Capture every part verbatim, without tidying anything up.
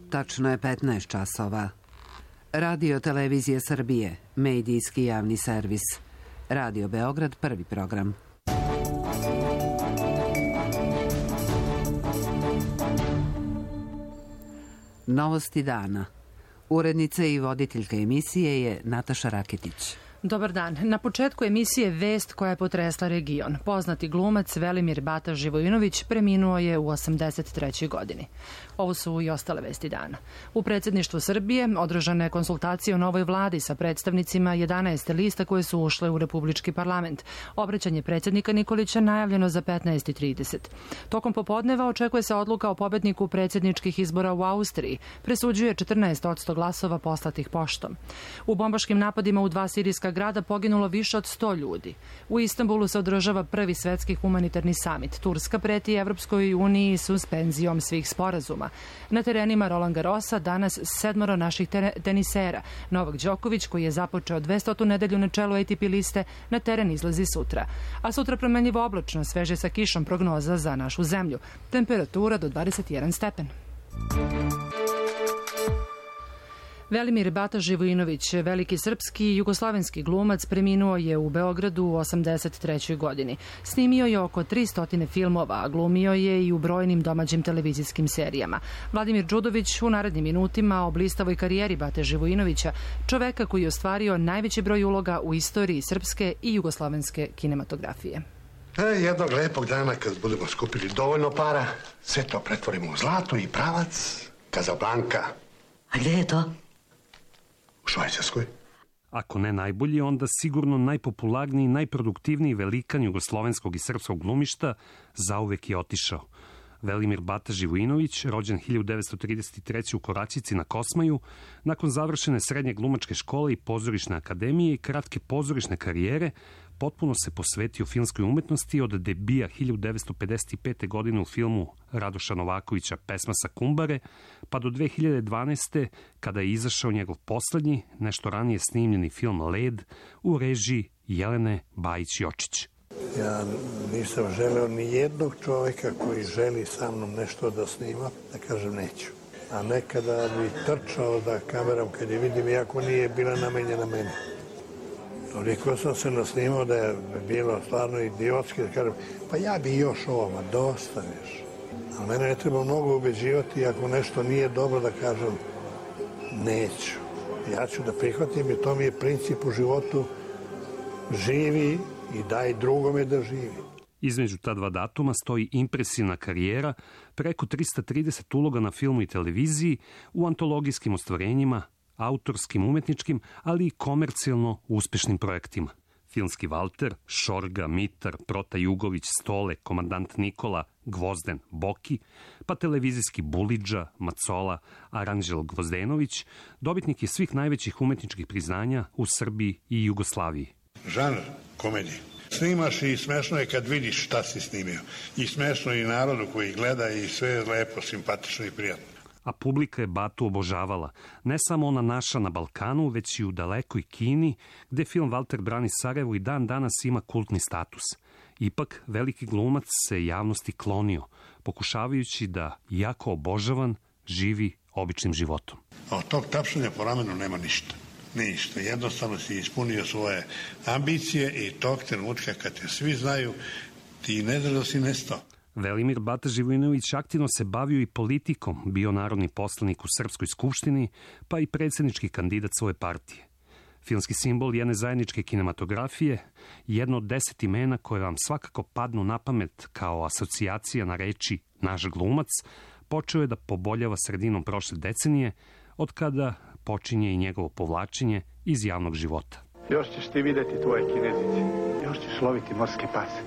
Tačno je petnaest časova. Radio Televizije Srbije, medijski javni servis. Radio Beograd, prvi program. Novosti dana. Urednica i voditeljka emisije je Nataša Raketić. Dobar dan. Na početku emisije vest koja je potresla region. Poznati glumac Velimir Bata Živojinović preminuo je u osamdeset trećoj godini. Ovo su i ostale vesti dana. U predsjedništvu Srbije održana je konsultacija o novoj vladi sa predstavnicima jedanaest lista koje su ušle u Republički parlament. Obraćanje predsjednika Nikolića najavljeno za petnaest i trideset. Tokom popodneva očekuje se odluka o pobedniku predsjedničkih izbora u Austriji. Presuđuje četrnaest posto glasova poslatih poštom. U bombaškim napadima u dva sirijska grada poginulo više od sto ljudi. U Istanbulu se održava prvi svetski humanitarni samit. Turska preti Evropskoj uniji suspenzijom svih sporazuma. Na terenima Roland Garrosa danas sedmoro naših tenisera. Novak Đoković, koji je započeo dvestotu nedelju na čelu A T P liste, na teren izlazi sutra. A sutra promenljivo oblačno, sveže sa kišom, prognoza za našu zemlju. Temperatura do dvadeset jedan stepen. Velimir Bata Živojinović, veliki srpski i jugoslovenski glumac, preminuo je u Beogradu u osamdeset trećoj godini. Snimio je oko tristo filmova, a glumio je i u brojnim domaćim televizijskim serijama. Vladimir Đudović u narednim minutima o blistavoj karijeri Bate Živojinovića, čoveka koji je ostvario najveći broj uloga u istoriji srpske i jugoslovenske kinematografije. E, jednog lepog dana kad budemo skupili dovoljno para, sve to pretvorimo u zlato i pravac, Kazablanka. A gde je to? U Švajcarskoj. Ako ne najbolji, onda sigurno najpopularniji, najproduktivniji velikan jugoslovenskog i srpskog glumišta zauvek je otišao. Velimir Bata Živojinović, rođen hiljadu devetsto trideset treće. u Koračici na Kosmaju, nakon završene srednje glumačke škole i pozorišne akademije i kratke pozorišne karijere, potpuno se posvetio filmskoj umetnosti od debija hiljadu devetsto pedeset pete. godine u filmu Radoša Novakovića Pesma sa Kumbare, pa do dve hiljade dvanaeste. kada je izašao njegov poslednji, nešto ranije snimljeni film Led u režiji Jelene Bajić-Jočić. Ja nisam želeo ni jednog čoveka koji želi sa mnom nešto da snima, da kažem neću. A nekada bi trčao da kameram kad je vidim, iako nije bila namenjena meni. Toliko sam se nasnimao da je bilo stvarno idiotski da kažem, pa ja bi još ovo, ma dosta još. Ali mene ne treba mnogo ubeđivati, ako nešto nije dobro da kažem neću. Ja ću da prihvatim i to mi je princip u životu, živi i daj drugome da živi. Između ta dva datuma stoji impresivna karijera, preko trista trideset uloga na filmu i televiziji, u antologijskim ostvarenjima, autorskim, umetničkim, ali i komercijalno uspešnim projektima. Filmski Valter, Šorga, Mitar, Prota Jugović, Stole, Komandant Nikola, Gvozden, Boki, pa televizijski Bulidža, Macola, Aranđel Gvozdenović, dobitnik je svih najvećih umetničkih priznanja u Srbiji i Jugoslaviji. Žanr komedije. Snimaš i smešno je kad vidiš šta si snimio. I smešno i narodu koji gleda i sve je lepo, simpatično i prijatno. A publika je Batu obožavala. Ne samo ona naša na Balkanu, već i u dalekoj Kini, gde film Valter brani Sarajevo i dan danas ima kultni status. Ipak, veliki glumac se javnosti klonio, pokušavajući da, jako obožavan, živi običnim životom. A od tog tapšanja po ramenu nema ništa. Ništa. Jednostavno si ispunio svoje ambicije i tog trenutka kad te svi znaju, ti ne znaš da si nestao. Velimir Bata Živojinović aktivno se bavio i politikom, bio narodni poslanik u Srpskoj skupštini, pa i predsjednički kandidat svoje partije. Filmski simbol jedne zajedničke kinematografije, jedno od deset imena koje vam svakako padnu na pamet kao asocijacija na reči naš glumac, počeo je da poboljava sredinom prošle decenije, od kada počinje i njegovo povlačenje iz javnog života. Još ćeš ti vidjeti tvoje kinezice, još ćeš loviti morske pase,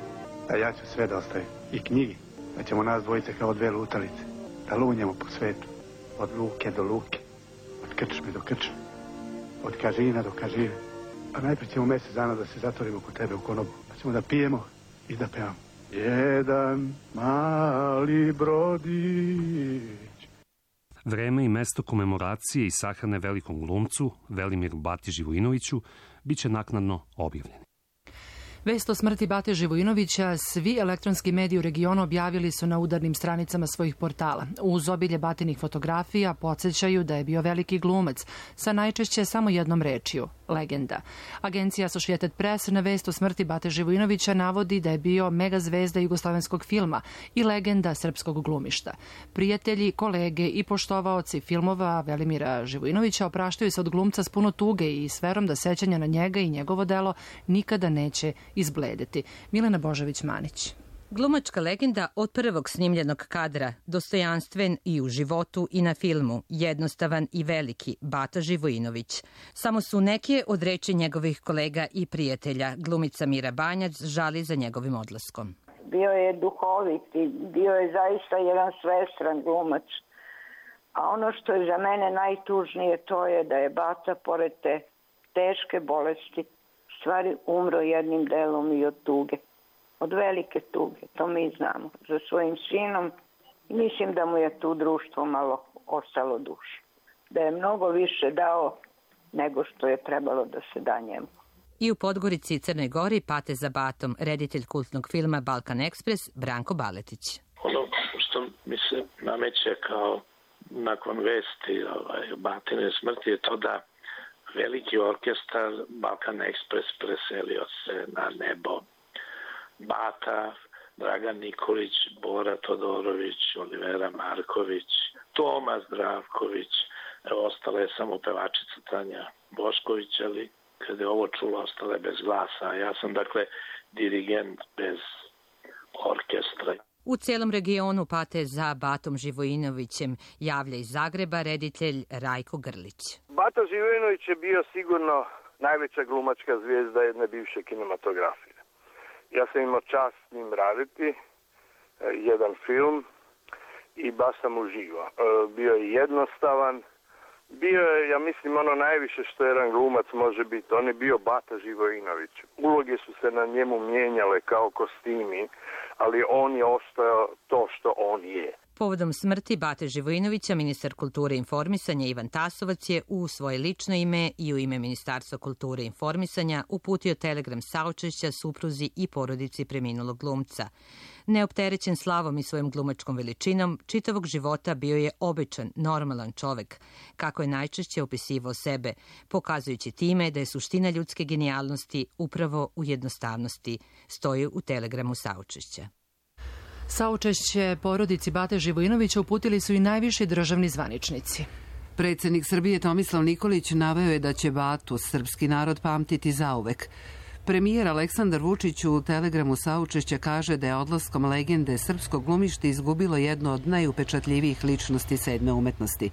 a ja ću sve da ostavim. I knjigi, da ćemo nas dvojice kao dve lutalice, da lunjemo po svetu, od luke do luke, od krčme do krčme, od kažina do kažine. A najprije ćemo mjesec dana da se zatvorimo kod tebe u konobu, da ćemo da pijemo i da pevamo. Jedan mali brodić. Vreme i mesto komemoracije i sahrane velikom glumcu, Velimiru Bati Živojinoviću, bit će naknadno objavljeni. Vest o smrti Bate Živojinovića svi elektronski mediji u regionu objavili su na udarnim stranicama svojih portala. Uz obilje Batinih fotografija podsjećaju da je bio veliki glumac sa najčešće samo jednom rečju – legenda. Agencija Associated Press na vest o smrti Bate Živojinovića navodi da je bio mega zvezda jugoslovenskog filma i legenda srpskog glumišta. Prijatelji, kolege i poštovaoci filmova Velimira Živojinovića opraštaju se od glumca s puno tuge i s verom da sećanja na njega i njegovo delo nikada neće izbledeti. Milena Božović-Manić. Glumačka legenda od prvog snimljenog kadra, dostojanstven i u životu i na filmu, jednostavan i veliki, Bata Živojinović. Samo su neke od reči njegovih kolega i prijatelja. Glumica Mira Banjac žali za njegovim odlaskom. Bio je duhovit i bio je zaista jedan svestran glumac. A ono što je za mene najtužnije to je da je Bata pored te teške bolesti stvari umro jednim delom i od tuge. Od velike tuge, to mi znamo, za svojim sinom. I mislim da mu je tu društvo malo ostalo duše. Da je mnogo više dao nego što je trebalo da se da njemu. I u Podgorici i Crnoj Gori pate za Batom reditelj kultnog filma Balkan Ekspres Branko Baletić. Ono što mi se nameće kao nakon vesti ovaj, Batine smrti je to da veliki orkestar Balkan Ekspres preselio se na nebo. Bata, Dragan Nikolić, Bora Todorović, Olivera Marković, Toma Zdravković, evo, ostala je samo pevačica Tanja Bošković, ali kada je ovo čula, ostala je bez glasa. Ja sam, dakle, dirigent bez orkestra. U celom regionu pate za Batom Živojinovićem javlja iz Zagreba reditelj Rajko Grlić. Bata Živojinović je bio sigurno najveća glumačka zvijezda jedne bivše kinematografije. Ja sam imao čast s njim raditi jedan film i baš sam uživao. Bio je jednostavan, bio je, ja mislim, ono najviše što jedan glumac može biti. On je bio Bata Živojinović. Uloge su se na njemu mijenjale kao kostimi, ali on je ostao to što on je. Povodom smrti Bate Živojinovića, ministar kulture i informisanja Ivan Tasovac je u svoje lično ime i u ime Ministarstva kulture i informisanja uputio telegram saučešća supruzi i porodici preminulog glumca. Neopterećen slavom i svojom glumačkom veličinom, čitavog života bio je običan, normalan čovek, kako je najčešće opisivao sebe, pokazujući time da je suština ljudske genijalnosti upravo u jednostavnosti, stoji u telegramu saučešća. Saučešće porodici Bate Živojinovića uputili su i najviši državni zvaničnici. Predsjednik Srbije Tomislav Nikolić naveo je da će Batu srpski narod pamtiti zauvek. Premijer Aleksandar Vučić u telegramu saučešća kaže da je odlaskom legende srpskog glumišta izgubilo jedno od najupečatljivijih ličnosti sedme umetnosti.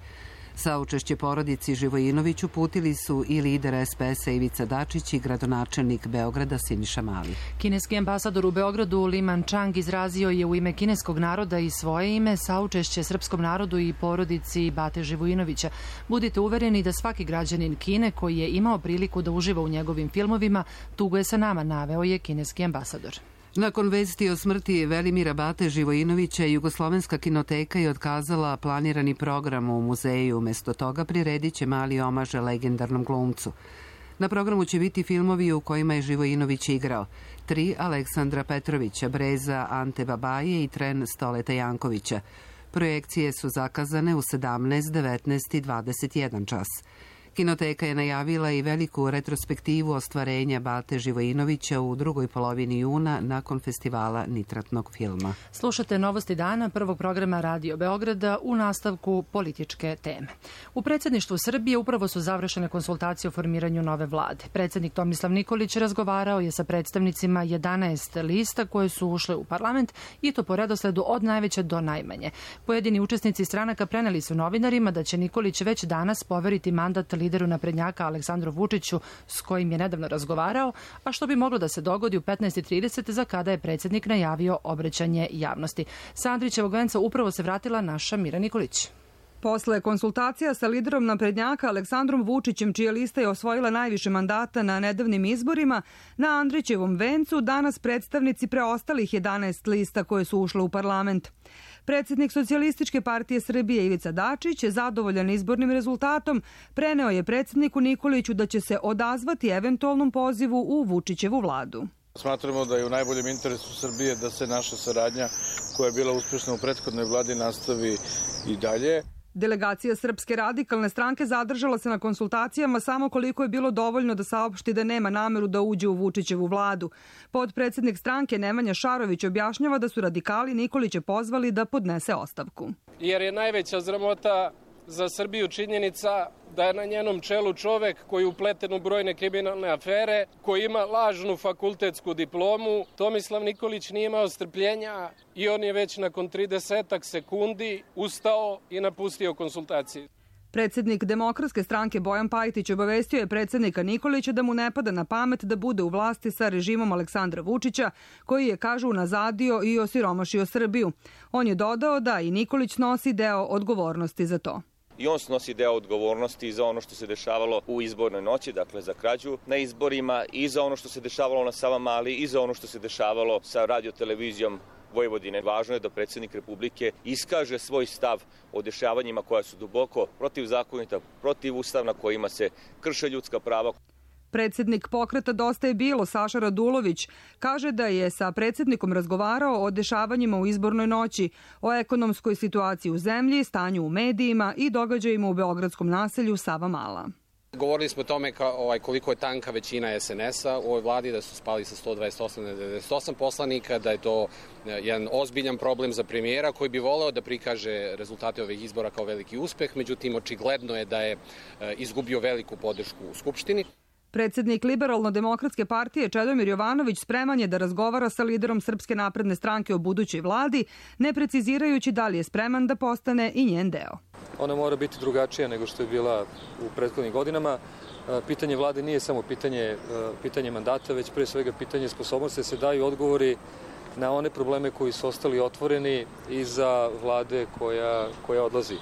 Saučešće porodici Živojinović uputili su i lider es pe es-a Ivica Dačić i gradonačelnik Beograda Siniša Mali. Kineski ambasador u Beogradu Li Manchang izrazio je u ime kineskog naroda i svoje ime saučešće srpskom narodu i porodici Bate Živojinovića. Budite uvereni da svaki građanin Kine koji je imao priliku da uživa u njegovim filmovima tuguje sa nama, naveo je kineski ambasador. Nakon vesti o smrti Velimira Bate Živojinovića, Jugoslovenska kinoteka je otkazala planirani program u muzeju. Umesto toga priredit će mali omaž legendarnom glumcu. Na programu će biti filmovi u kojima je Živojinović igrao. Tri Aleksandra Petrovića, Breza Ante Babaje i Tren Stoleta Jankovića. Projekcije su zakazane u sedamnaest, devetnaest i dvadeset jedan čas. Kinoteka je najavila i veliku retrospektivu ostvarenja Bate Živojinovića u drugoj polovini juna nakon festivala nitratnog filma. Slušate Novosti dana prvog programa Radio Beograda u nastavku političke teme. U predsjedništvu Srbije upravo su završene konsultacije o formiranju nove vlade. Predsjednik Tomislav Nikolić razgovarao je sa predstavnicima jedanaest lista koje su ušle u parlament i to po redosledu od najveće do najmanje. Pojedini učesnici stranaka preneli su novinarima da će Nikolić već danas poveriti mandat lideru naprednjaka Aleksandru Vučiću s kojim je nedavno razgovarao, a što bi moglo da se dogodi u petnaest i trideset za kada je predsjednik najavio obraćanje javnosti. Sa Andrićevog venca upravo se vratila naša Mira Nikolić. Posle konsultacija sa liderom naprednjaka Aleksandrom Vučićem, čija lista je osvojila najviše mandata na nedavnim izborima, na Andrićevom vencu danas predstavnici preostalih jedanaest lista koje su ušle u parlament. Predsjednik Socijalističke partije Srbije Ivica Dačić je zadovoljan izbornim rezultatom, preneo je predsjedniku Nikoliću da će se odazvati eventualnom pozivu u Vučićevu vladu. Smatramo da je u najboljem interesu Srbije da se naša saradnja koja je bila uspešna u prethodnoj vladi nastavi i dalje. Delegacija Srpske radikalne stranke zadržala se na konsultacijama samo koliko je bilo dovoljno da saopšti da nema nameru da uđe u Vučićevu vladu. Podpredsednik stranke Nemanja Šarović objašnjava da su radikali Nikolića pozvali da podnese ostavku. Jer je najveća sramota za Srbiju činjenica da je na njenom čelu čovek koji je upleten u brojne kriminalne afere, koji ima lažnu fakultetsku diplomu. Tomislav Nikolić nije imao strpljenja i on je već nakon tridesetak sekundi ustao i napustio konsultacije. Predsednik Demokratske stranke Bojan Pajtić obavestio je predsednika Nikolića da mu ne pada na pamet da bude u vlasti sa režimom Aleksandra Vučića, koji je, kažu, unazadio i osiromašio Srbiju. On je dodao da i Nikolić nosi deo odgovornosti za to. I on snosi deo odgovornosti za ono što se dešavalo u izbornoj noći, dakle za krađu na izborima, i za ono što se dešavalo na Savamali, i za ono što se dešavalo sa radiotelevizijom Vojvodine. Važno je da predsednik Republike iskaže svoj stav o dešavanjima koja su duboko protivzakonita, protivustavna, kojima se krše ljudska prava. Predsednik pokreta Dosta je bilo, Saša Radulović, kaže da je sa predsednikom razgovarao o dešavanjima u izbornoj noći, o ekonomskoj situaciji u zemlji, stanju u medijima i događajima u beogradskom naselju Savamala. Govorili smo o tome ka, ovaj, koliko je tanka većina es en es a u ovoj vladi, da su spali sa sto dvadeset osam na devedeset osam poslanika, da je to jedan ozbiljan problem za premijera koji bi voleo da prikaže rezultate ovih izbora kao veliki uspeh, međutim očigledno je da je izgubio veliku podršku u Skupštini. Predsednik Liberalno-demokratske partije Čedomir Jovanović spreman je da razgovara sa liderom Srpske napredne stranke o budućoj vladi, ne precizirajući da li je spreman da postane i njen deo. Ona mora biti drugačija nego što je bila u prethodnim godinama. Pitanje vlade nije samo pitanje, pitanje mandata, već pre svega pitanje sposobnosti da se daju odgovori na one probleme koji su ostali otvoreni iza vlade koja, koja odlazi.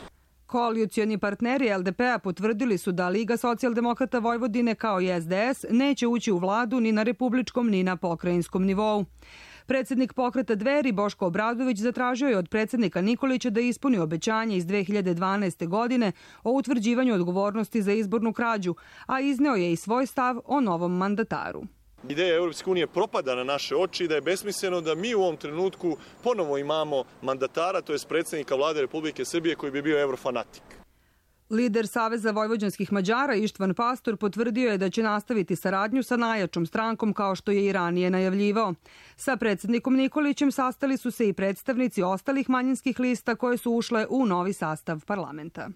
Koalicioni partneri el de pe a potvrdili su da Liga socijaldemokrata Vojvodine kao i es de es neće ući u vladu ni na republičkom ni na pokrajinskom nivou. Predsednik pokreta Dveri Boško Obradović zatražio je od predsednika Nikolića da ispuni obećanje iz dve hiljade dvanaeste. godine o utvrđivanju odgovornosti za izbornu krađu, a izneo je i svoj stav o novom mandataru. Ideja Europske unije propada na naše oči i da je besmisleno da mi u ovom trenutku ponovo imamo mandatara, to je predsednika vlade Republike Srbije koji bi bio evrofanatik. Lider Saveza vojvođanskih Mađara Ištvan Pastor potvrdio je da će nastaviti saradnju sa najjačom strankom kao što je i ranije najavljivao. Sa predsednikom Nikolićem sastali su se i predstavnici ostalih manjinskih lista koje su ušle u novi sastav parlamenta.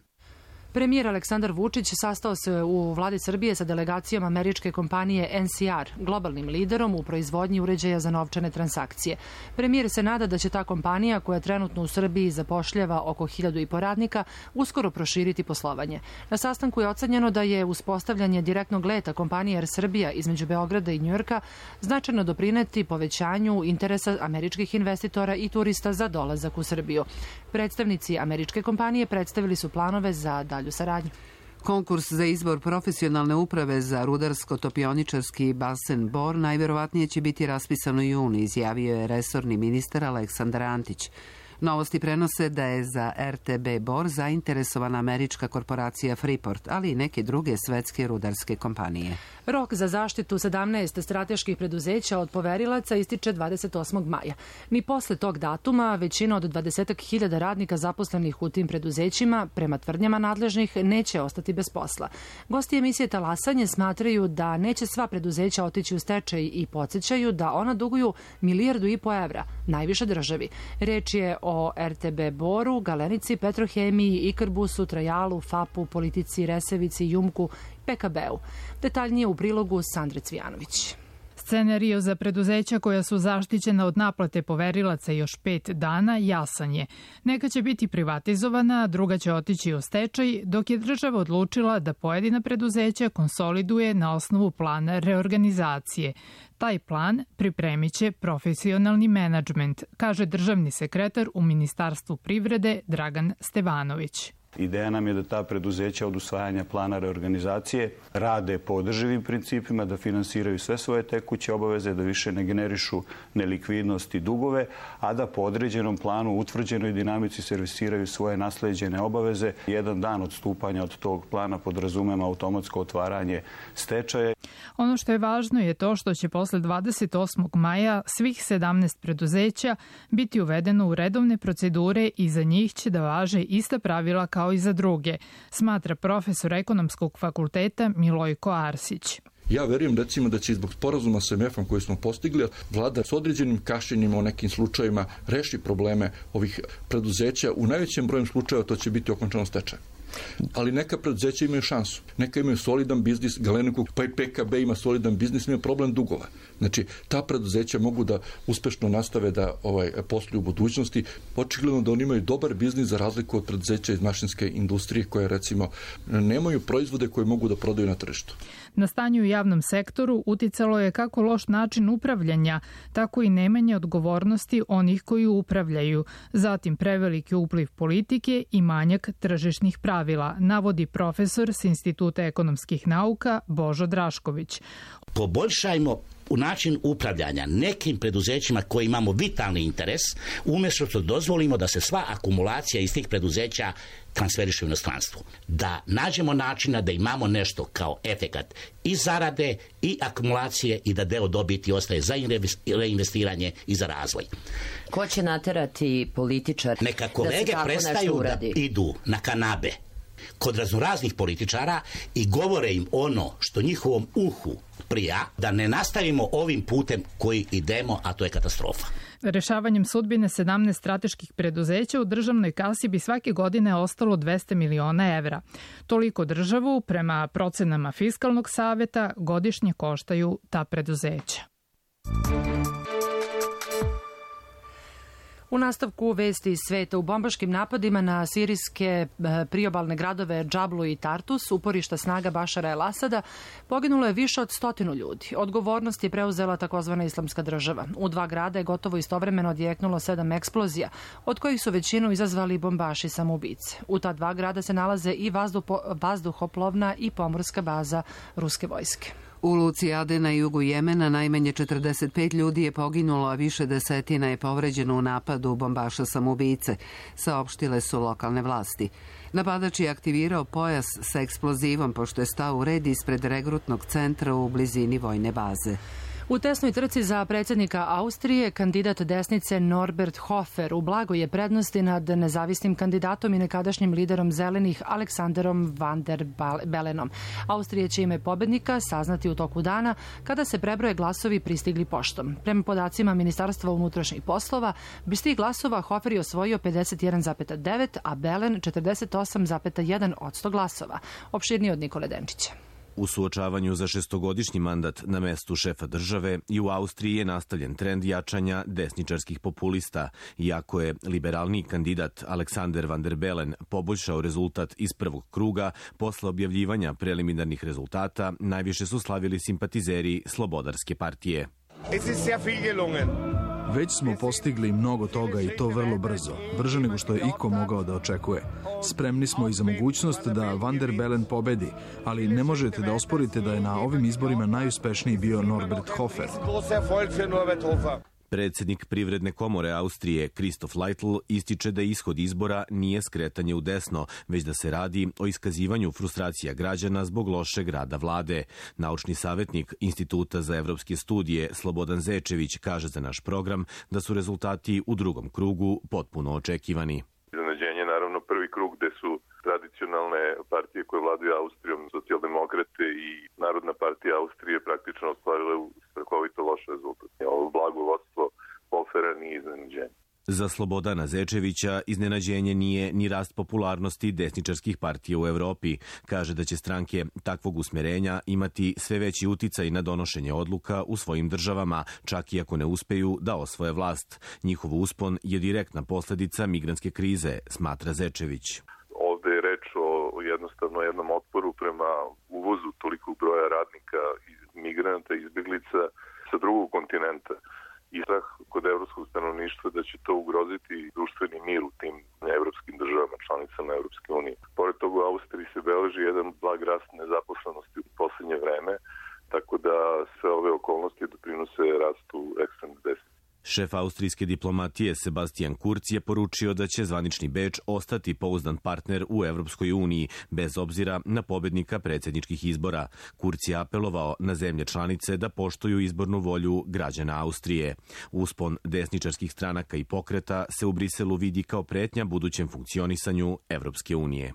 Premijer Aleksandar Vučić sastao se u vladi Srbije sa delegacijom američke kompanije en si ar, globalnim liderom u proizvodnji uređaja za novčane transakcije. Premijer se nada da će ta kompanija, koja trenutno u Srbiji zapošljava oko hiljadu i po radnika, uskoro proširiti poslovanje. Na sastanku je ocenjeno da je uspostavljanje direktnog leta kompanije Er Srbija između Beograda i Njujorka značajno doprineti povećanju interesa američkih investitora i turista za dolazak u Srbiju. Predstavnici američke kompanije predstavili su planove za dalju saradnju. Konkurs za izbor profesionalne uprave za rudarsko-topioničarski basen Bor najverovatnije će biti raspisan u junu, izjavio je resorni ministar Aleksandar Antić. Novosti prenose da je za er te be Bor zainteresovana američka korporacija Freeport, ali i neke druge svetske rudarske kompanije. Rok za zaštitu sedamnaest strateških preduzeća od poverilaca ističe dvadeset osmog maja. Ni posle tog datuma većina od dvadeset hiljada radnika zaposlenih u tim preduzećima, prema tvrdnjama nadležnih, neće ostati bez posla. Gosti emisije Talasanje smatraju da neće sva preduzeća otići u stečaj i podsjećaju da ona duguju milijardu i po evra, najviše državi. Reč je o er te be Boru, Galenici, Petrohemiji, Ikarbusu, Trajalu, Fapu, Politici, Resevici, Jumku, pe ka be u. Detaljnije u prilogu Sandre Cvijanović. Scenario za preduzeća koja su zaštićena od naplate poverilaca još pet dana jasan je. Neka će biti privatizovana, druga će otići u stečaj, dok je država odlučila da pojedina preduzeća konsoliduje na osnovu plana reorganizacije. Taj plan pripremit će profesionalni menadžment, kaže državni sekretar u Ministarstvu privrede Dragan Stevanović. Ideja nam je da ta preduzeća od usvajanja plana reorganizacije rade po održivim principima, da finansiraju sve svoje tekuće obaveze, da više ne generišu nelikvidnost i dugove, a da po određenom planu, utvrđenoj dinamici servisiraju svoje nasleđene obaveze. Jedan dan odstupanja od tog plana podrazumema automatsko otvaranje stečaja. Ono što je važno je to što će posle dvadeset osmog maja svih sedamnaest preduzeća biti uvedeno u redovne procedure i za njih će da važe ista pravila kao i za druge, smatra profesor ekonomskog fakulteta Milojko Arsić. Ja verujem recimo da će zbog sporazuma sa em efom koji smo postigli vlada s određenim kašnjenjima u nekim slučajevima reši probleme ovih preduzeća. U najvećem broju slučajeva to će biti okončano stečaj. Ali neka preduzeća imaju šansu. Neka imaju solidan biznis, Galenika pa i P K B ima solidan biznis, ima problem dugova. Znači, ta preduzeća mogu da uspešno nastave da ovaj, posluju u budućnosti. Očigledno da oni imaju dobar biznis za razliku od preduzeća iz mašinske industrije koje recimo nemaju proizvode koje mogu da prodaju na tržištu. Na stanje u javnom sektoru uticalo je kako loš način upravljanja, tako i nemanje odgovornosti onih koji upravljaju, zatim preveliki upliv politike i manjak tržišnih pravila, navodi profesor s Instituta ekonomskih nauka Božo Drašković. Poboljšajmo u način upravljanja nekim preduzećima koji imamo vitalni interes, umjesto što dozvolimo da se sva akumulacija iz tih preduzeća transferiše u inostranstvo. Da nađemo načina da imamo nešto kao efekat i zarade i akumulacije i da deo dobiti ostaje za reinvestiranje i za razvoj. Ko će naterati političar Neka kolege da prestaju da idu na kanabe kod raznoraznih političara i govore im ono što njihovom uhu prija, da ne nastavimo ovim putem koji idemo, a to je katastrofa. Rešavanjem sudbine sedamnaest strateških preduzeća u državnoj kasi bi svake godine ostalo dvesta miliona evra. Toliko državu, prema procenama Fiskalnog saveta, godišnje koštaju ta preduzeća. U nastavku vesti iz sveta, u bombaškim napadima na sirijske priobalne gradove Džablu i Tartus, uporišta snaga Bašara el Asada, poginulo je više od stotinu ljudi. Odgovornost je preuzela takozvana Islamska država. U dva grada je gotovo istovremeno odjeknulo sedam eksplozija, od kojih su većinu izazvali bombaši samoubice. U ta dva grada se nalaze i vazduhoplovna i pomorska baza ruske vojske. U luci Aden na jugu Jemena najmanje četrdeset pet ljudi je poginulo, a više desetina je povređeno u napadu bombaša samoubice, saopštile su lokalne vlasti. Napadač je aktivirao pojas sa eksplozivom pošto je stao u red ispred regrutnog centra u blizini vojne baze. U tesnoj trci za predsjednika Austrije, kandidat desnice Norbert Hofer u blagoj je prednosti nad nezavisnim kandidatom i nekadašnjim liderom zelenih Aleksanderom van der Belenom. Austrija će ime pobednika saznati u toku dana kada se prebroje glasovi pristigli poštom. Prema podacima Ministarstva unutrašnjih poslova, bez tih glasova Hofer je osvojio pedeset jedan zarez devet, a Belen četrdeset osam zarez jedan odsto glasova. Opširnije od Nikole Denčića. U suočavanju za šestogodišnji mandat na mestu šefa države i u Austriji je nastavljen trend jačanja desničarskih populista, iako je liberalni kandidat Aleksander van der Bellen poboljšao rezultat iz prvog kruga. Posle objavljivanja preliminarnih rezultata najviše su slavili simpatizeri Slobodarske partije. Već smo postigli mnogo toga i to vrlo brzo, brže nego što je iko mogao da očekuje. Spremni smo i za mogućnost da Van der Bellen pobedi, ali ne možete da osporite da je na ovim izborima najuspešniji bio Norbert Hofer. Predsjednik Privredne komore Austrije, Christoph Leitl, ističe da ishod izbora nije skretanje u desno, već da se radi o iskazivanju frustracija građana zbog lošeg rada vlade. Naučni savjetnik Instituta za evropske studije Slobodan Zečević kaže za naš program da su rezultati u drugom krugu potpuno očekivani. Iznenađenje, naravno, prvi krug gde su tradicionalne partije koje vladaju Austrijom, socijaldemokrate i Narodna partija Austrije praktično ostvarile strahovito loš rezultat. Ovo blago vodstvo Hofera nije iznenađenje. Za Slobodana Zečevića iznenađenje nije ni rast popularnosti desničarskih partija u Evropi. Kaže da će stranke takvog usmjerenja imati sve veći uticaj na donošenje odluka u svojim državama, čak i ako ne uspeju da osvoje vlast. Njihov uspon je direktna posljedica migrantske krize, smatra Zečević. Ovde je reč o jednostavno jednom otporu prema uvozu tolikog broja radnika, migranata, izbjeglica sa drugog kontinenta. I strah kod evropskog stanovništva da će to ugroziti društveni mir u tim evropskim državama članicama. članicama Europske unije. Pored toga u Austriji se beleži jedan blag rast nezaposlenosti u poslednje vreme, tako da sve ove okolnosti doprinose rastu ekstremnog desnice. Šef austrijske diplomatije Sebastian Kurz je poručio da će zvanični Beč ostati pouzdan partner u Evropskoj uniji, bez obzira na pobednika predsjedničkih izbora. Kurz je apelovao na zemlje članice da poštuju izbornu volju građana Austrije. Uspon desničarskih stranaka i pokreta se u Briselu vidi kao pretnja budućem funkcionisanju Evropske unije.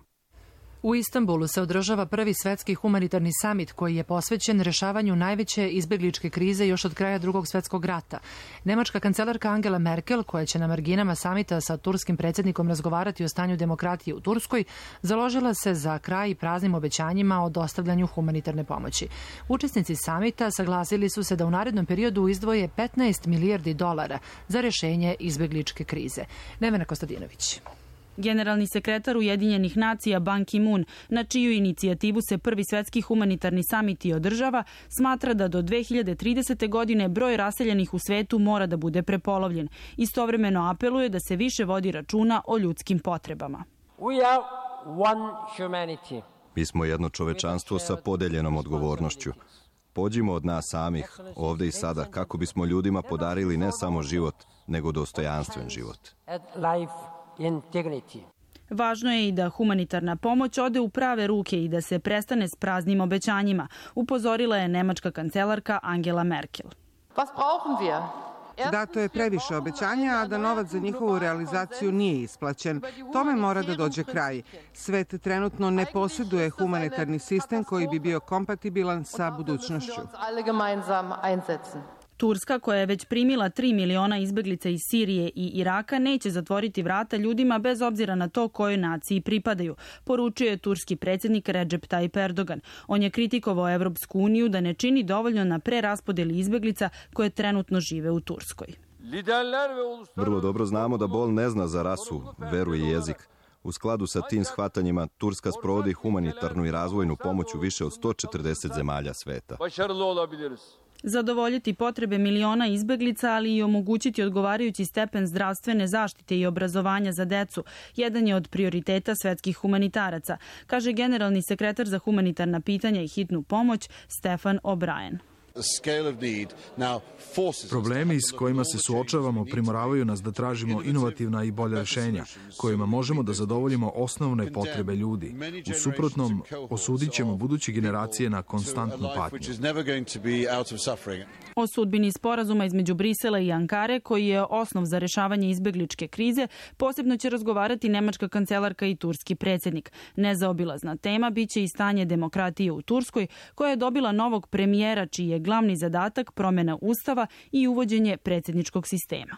U Istanbulu se održava prvi svetski humanitarni samit koji je posvećen rešavanju najveće izbegličke krize još od kraja Drugog svetskog rata. Nemačka kancelarka Angela Merkel, koja će na marginama samita sa turskim predsjednikom razgovarati o stanju demokratije u Turskoj, založila se za kraj praznim obećanjima o dostavljanju humanitarne pomoći. Učesnici samita saglasili su se da u narednom periodu izdvoje petnaest milijardi dolara za rešenje izbegličke krize. Nevena Kostadinović. Generalni sekretar Ujedinjenih nacija Ban Ki-moon, na čiju inicijativu se prvi svetski humanitarni samit i održava, smatra da do dve hiljade tridesete. godine broj raseljenih u svetu mora da bude prepolovljen. Istovremeno apeluje da se više vodi računa o ljudskim potrebama. We are one humanity. Mi smo jedno čovečanstvo sa podeljenom odgovornošću. Pođimo od nas samih, ovde i sada, kako bismo ljudima podarili ne samo život, nego dostojanstven život. Integrity. Važno je i da humanitarna pomoć ode u prave ruke i da se prestane s praznim obećanjima, upozorila je nemačka kancelarka Angela Merkel. Was brauchen wir? Dato je previše obećanja, a da novac za njihovu realizaciju nije isplaćen. Tome mora da dođe kraj. Svet trenutno ne posjeduje humanitarni sistem koji bi bio kompatibilan sa budućnošću. Turska, koja je već primila tri miliona izbeglica iz Sirije i Iraka, neće zatvoriti vrata ljudima bez obzira na to kojoj naciji pripadaju, poručio je turski predsjednik Recep Tayyip Erdogan. On je kritikovao Evropsku uniju da ne čini dovoljno na preraspodeli izbeglica koje trenutno žive u Turskoj. Vrlo dobro znamo da bol ne zna za rasu, veru i jezik. U skladu sa tim shvatanjima, Turska sprovodi humanitarnu i razvojnu pomoć u više od sto četrdeset zemalja sveta. Zadovoljiti potrebe miliona izbeglica, ali i omogućiti odgovarajući stepen zdravstvene zaštite i obrazovanja za decu, jedan je od prioriteta svetskih humanitaraca, kaže generalni sekretar za humanitarna pitanja i hitnu pomoć Stefan O'Brien. Problemi s kojima se suočavamo primoravaju nas da tražimo inovativna i bolja rešenja, kojima možemo da zadovoljimo osnovne potrebe ljudi. U suprotnom, osudit ćemo buduće generacije na konstantnu patnju. O sudbini sporazuma između Brisela i Ankare, koji je osnov za rešavanje izbegličke krize, posebno će razgovarati nemačka kancelarka i turski predsjednik. Nezaobilazna tema biće i stanje demokratije u Turskoj, koja je dobila novog premijera, čiji je glavni zadatak promjena ustava i uvođenje predsjedničkog sistema.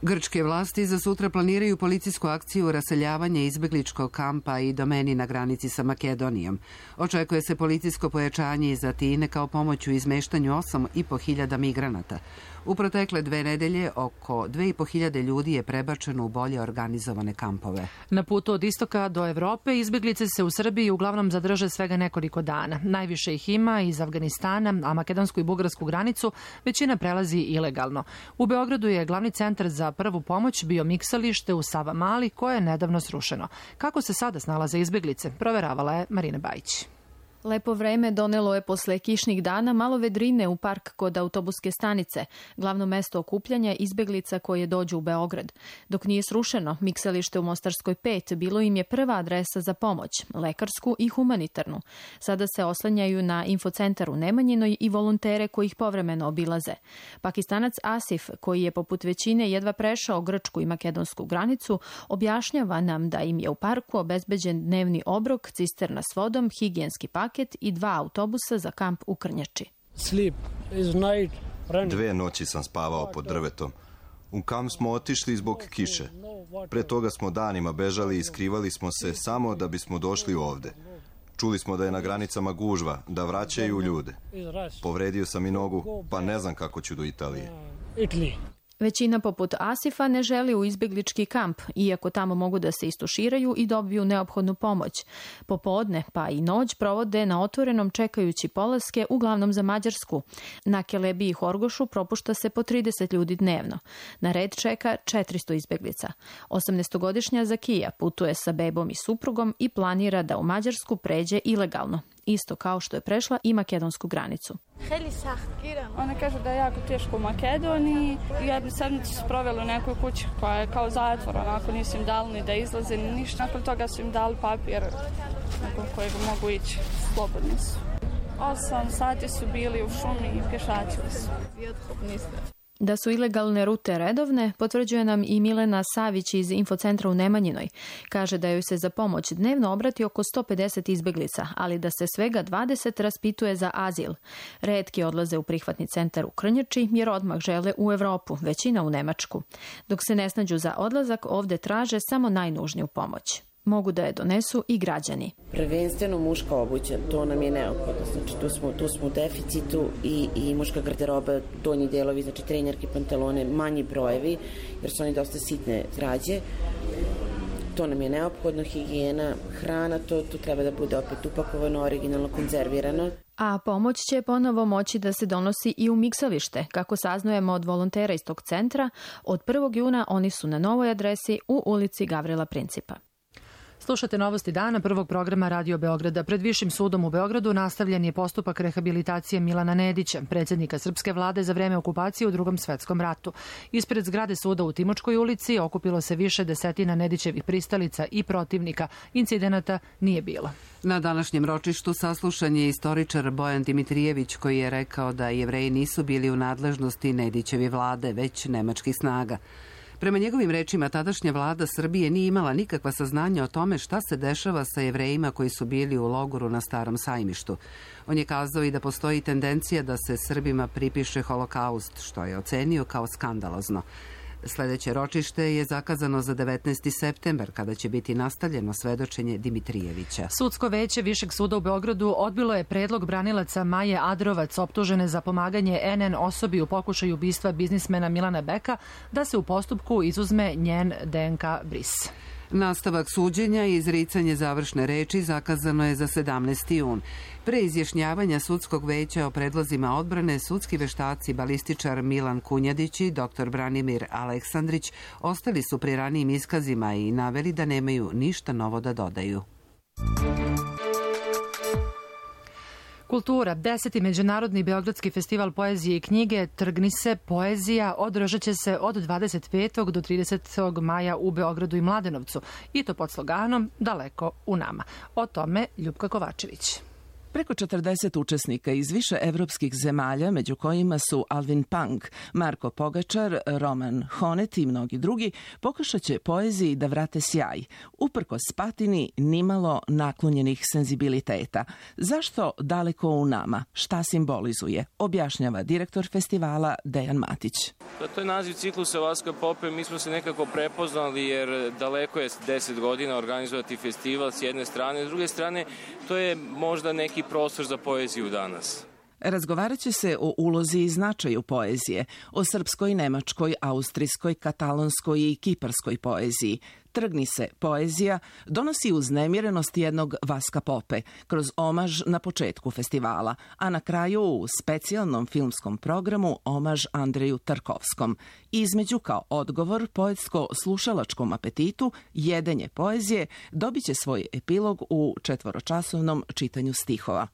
Grčke vlasti za sutra planiraju policijsku akciju raseljavanja izbegličkog kampa i domeni na granici sa Makedonijom. Očekuje se policijsko pojačanje iz Atine kao pomoć u izmeštanju osam i po hiljada migranata. U protekle dve nedelje oko dve i po hiljade ljudi je prebačeno u bolje organizovane kampove. Na putu od istoka do Evrope izbeglice se u Srbiji uglavnom zadrže svega nekoliko dana. Najviše ih ima iz Afganistana, a makedonsku i bugarsku granicu većina prelazi ilegalno. U Beogradu je glavni centar za prvu pomoć bio miksalište u Savamali, koje je nedavno srušeno. Kako se sada snalaze izbeglice, proveravala je Marina Bajić. Lepo vreme donelo je posle kišnih dana malo vedrine u park kod autobuske stanice, glavno mesto okupljanja izbeglica koje dođu u Beograd. Dok nije srušeno, miksalište u Mostarskoj pet bilo im je prva adresa za pomoć, lekarsku i humanitarnu. Sada se oslanjaju na infocentar u Nemanjinoj i volontere koji ih povremeno obilaze. Pakistanac Asif, koji je poput većine jedva prešao grčku i makedonsku granicu, objašnjava nam da im je u parku obezbeđen dnevni obrok, cisterna s vodom, higijenski paket i dva autobusa za kamp u Krnjači. Dve noći sam spavao pod drvetom. U kamp smo otišli zbog kiše. Pre toga smo danima bežali i skrivali smo se samo da bismo došli ovde. Čuli smo da je na granicama gužva, da vraćaju ljude. Povredio sam i nogu, pa ne znam kako ću do Italije. Većina poput Asifa ne želi u izbjeglički kamp, iako tamo mogu da se istuširaju i dobiju neophodnu pomoć. Popodne pa i noć provode na otvorenom čekajući polaske, uglavnom za Mađarsku. Na Kelebi i Horgošu propušta se po trideset ljudi dnevno. Na red čeka četiristo izbjeglica. osamnaestogodišnja Zakija putuje sa bebom i suprugom i planira da u Mađarsku pređe ilegalno, isto kao što je prešla i makedonsku granicu. Ona kaže da je jako teško u Makedoniji i jednu sedmicu su proveli u nekoj kući koja je kao zatvor, onako nisu im dali ni da izlaze, ni ništa. Nakon toga su im dali papir nakon kojeg mogu ići, slobodni su. Osam sati su bili u šumi i pješačili su. Da su ilegalne rute redovne, potvrđuje nam i Milena Savić iz infocentra u Nemanjinoj. Kaže da joj se za pomoć dnevno obrati oko sto pedeset izbeglica, ali da se svega dvadeset raspituje za azil. Retki odlaze u prihvatni centar u Krnjači jer odmah žele u Evropu, većina u Nemačku. Dok se ne snađu za odlazak, ovde traže samo najnužniju pomoć. Mogu da je donesu i građani. Prvenstveno muška obuća, to nam je neophodno. Znači, tu smo, tu smo u deficitu i, i muška garderoba, donji delovi, znači trenerke, pantalone, manji brojevi, jer su oni dosta sitne građe. To nam je neophodno, higijena, hrana, to, to treba da bude opet upakovano, originalno konzervirano. A pomoć će ponovo moći da se donosi i u miksalište. Kako saznujemo od volontera iz tog centra, od prvog juna oni su na novoj adresi u ulici Gavrila Principa. Slušate Novosti dana prvog programa Radio Beograda. Pred Višim sudom u Beogradu nastavljen je postupak rehabilitacije Milana Nedića, predsjednika srpske vlade za vreme okupacije u Drugom svetskom ratu. Ispred zgrade suda u Timočkoj ulici okupilo se više desetina Nedićevih pristalica i protivnika. Incidenata nije bilo. Na današnjem ročištu saslušan je istoričar Bojan Dimitrijević, koji je rekao da Jevreji nisu bili u nadležnosti Nedićevi vlade, već nemačkih snaga. Prema njegovim rečima, tadašnja vlada Srbije nije imala nikakva saznanja o tome šta se dešava sa Jevrejima koji su bili u logoru na Starom sajmištu. On je kazao i da postoji tendencija da se Srbima pripiše holokaust, što je ocenio kao skandalozno. Sljedeće ročište je zakazano za devetnaesti septembar, kada će biti nastavljeno svedočenje Dimitrijevića. Sudsko veće Višeg suda u Beogradu odbilo je predlog branilaca Maje Adrovac, optužene za pomaganje en en osobi u pokušaju ubistva biznismena Milana Beka, da se u postupku izuzme njen de en ka bris. Nastavak suđenja i izricanje završne reči zakazano je za sedamnaesti jun. Pre izjašnjavanja sudskog veća o predlozima odbrane, sudski veštaci balističar Milan Kunjadić i doktor Branimir Aleksandrić ostali su pri ranijim iskazima i naveli da nemaju ništa novo da dodaju. Kultura. Deseti Međunarodni Beogradski festival poezije i knjige Trgni se, poezija održat će se od dvadeset petog do tridesetog maja u Beogradu i Mladenovcu, i to pod sloganom Daleko u nama. O tome Ljupka Kovačević. Preko četrdeset učesnika iz više evropskih zemalja, među kojima su Alvin Pang, Marko Pogačar, Roman Honet i mnogi drugi, pokušat će poeziji da vrate sjaj, uprkos patini nimalo naklonjenih senzibiliteta. Zašto daleko u nama? Šta simbolizuje? Objašnjava direktor festivala Dejan Matić. To je naziv ciklusa Vaska Pope. Mi smo se nekako prepoznali jer daleko je deset godina organizovati festival s jedne strane, s druge strane to je možda neki prostor za poeziju danas. Razgovarat će se o ulozi i značaju poezije, o srpskoj, nemačkoj, austrijskoj, katalonskoj i kiparskoj poeziji. Trgni se, poezija donosi uznemirenost jednog Vaska Pope kroz omaž na početku festivala, a na kraju u specijalnom filmskom programu omaž Andreju Tarkovskom. Između kao odgovor poetsko-slušalačkom apetitu jedenje poezije dobit će svoj epilog u četvoročasovnom čitanju stihova.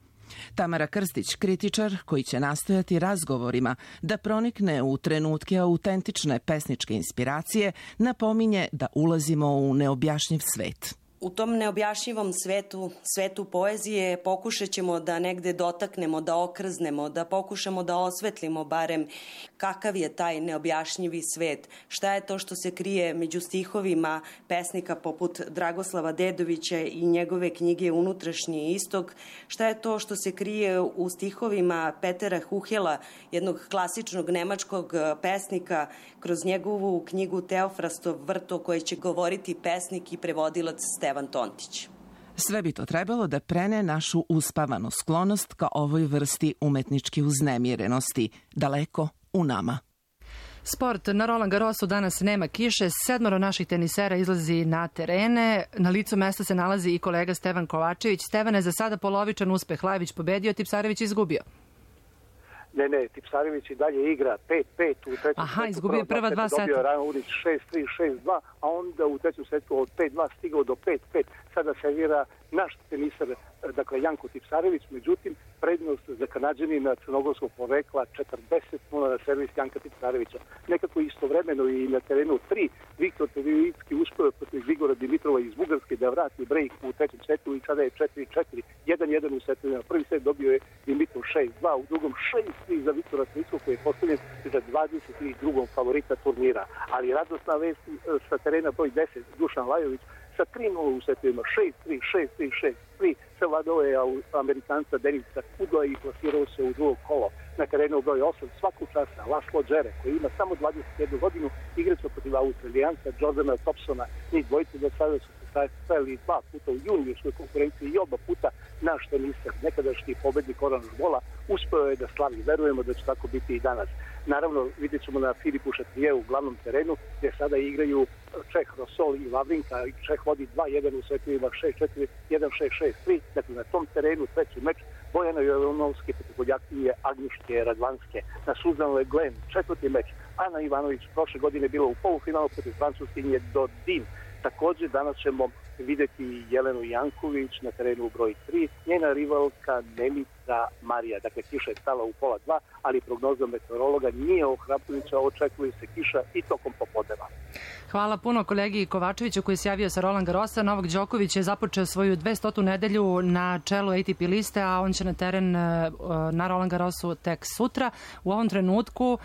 Tamara Krstić, kritičar koji će nastojati razgovorima da pronikne u trenutke autentične pesničke inspiracije, napominje da ulazimo u neobjašnjiv svet. U tom neobjašnjivom svetu, svetu poezije, pokušat ćemo da negde dotaknemo, da okrznemo, da pokušamo da osvetlimo barem kakav je taj neobjašnjivi svet. Šta je to što se krije među stihovima pesnika poput Dragoslava Dedovića i njegove knjige Unutrašnji istok. Šta je to što se krije u stihovima Petera Huhela, jednog klasičnog nemačkog pesnika, kroz njegovu knjigu Teofrastov vrt, o kojoj će govoriti pesnik i prevodilac Stevan Tontić. Sve bi to trebalo da prene našu uspavanu sklonost ka ovoj vrsti umetničke uznemirenosti, daleko u nama. Sport. Na Roland Garrosu danas nema kiše, sedmoro naših tenisera izlazi na terene. Na licu mesta se nalazi i kolega Stevan Kovačević. Stevane, za sada polovičan uspeh. Lajević pobedio, Tipsarević izgubio. Ne, ne, Tipsarević i dalje igra pet pet u trećem Aha, setu. izgubio prva dva seta. Dobio Rano Urić šest tri, šest dva, a onda u trećem setu od pet dva stigao do pet pet. Sada servira naš tenisar, dakle Janko Tipsarević, međutim, prednost za Kanadžanina crnogorskog porekla četrdeset nula na servis Janka Tipsarevića. Nekako istovremeno i na terenu tri, Viktor Terivicki uspio protiv Grigora Dimitrova iz Bugarske da vrati break u trećem setu i sada je četiri četiri, jedan jedan u setu. Prvi set dobio je Dimitrov šest dva, u drugom šest tri za Viktora Terivickog koji je postavljen za dvadeset drugom favorita turnira. Ali radosna vest sa terena broj deset, Dušan Lajović, sa tri nula u setovima, šest tri, šest tri, šest tri, savladao je Amerikanca Denisa Kudla i plasirao se u drugo kolo. Na terenu broj osam svakog časa Laslo Džere, koji ima samo dvadeset jednu godinu, igrača protiv Australijanca Jordana Thompsona. Njih dvojice do sada su se stajali dva puta u juniorskoj konkurenciji i oba puta naš tenisar, nekadašnji pobednik Oranž Bola, uspeo je da slavi. Verujemo da će tako biti i danas. Naravno, vidjet ćemo na Filipu Šatrijevu u glavnom terenu, gdje sada igraju Čeh Rosol i Lavrinka. Čeh vodi dva jedan u setovima, šest četiri, jedan šest, šest tri. Dakle, na tom terenu treći meč Bojana Jovanovske protiv Poljakinje Agnjuške Radvanske. Na Suzan Le Glen četvrti meč. Ana Ivanović prošle godine bila u polufinalu protiv Francuskinje Dodin. Također danas ćemo vidjeti Jelenu Janković na terenu broj tri, njena rivalka Nemica Marija. Dakle, kiša je stala u pola dva, ali prognoza meteorologa nije ohrabrujuća, očekuje se kiša i tokom popodneva. Hvala puno kolegi Kovačeviću koji se javio sa Roland Garrosa. Novak Đoković je započeo svoju dvestotu nedelju na čelu A T P liste, a on će na teren na Roland Garrosu tek sutra. U ovom trenutku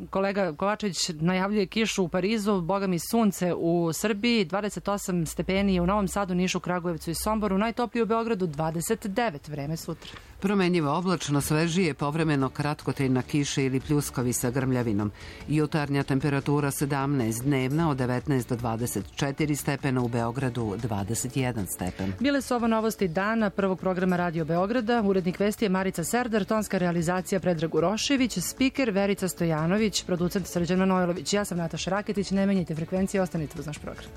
kolega Kovačević najavljuje kišu u Parizu, boga mi sunce u Srbiji, dvadeset osam stepeni u Novom Sadu, Nišu, Kragujevcu i Somboru, najtoplije u Beogradu dvadeset devet, vreme sutra. Promenjivo oblačno, svežije, povremeno kratkotrajna kiša ili pljuskovi sa grmljavinom. Jutarnja temperatura sedamnaest, dnevna od devetnaest do dvadeset četiri stepena, u Beogradu dvadeset jedan stepen. Bile su ovo novosti dana prvog programa Radio Beograda. Urednik vesti je Marica Serdar, tonska realizacija Predrag Urošević, spiker Verica Stojanović, producent Srđan Manojlović. Ja sam Nataša Raketić, ne menjajte frekvencije, ostanite uz naš program.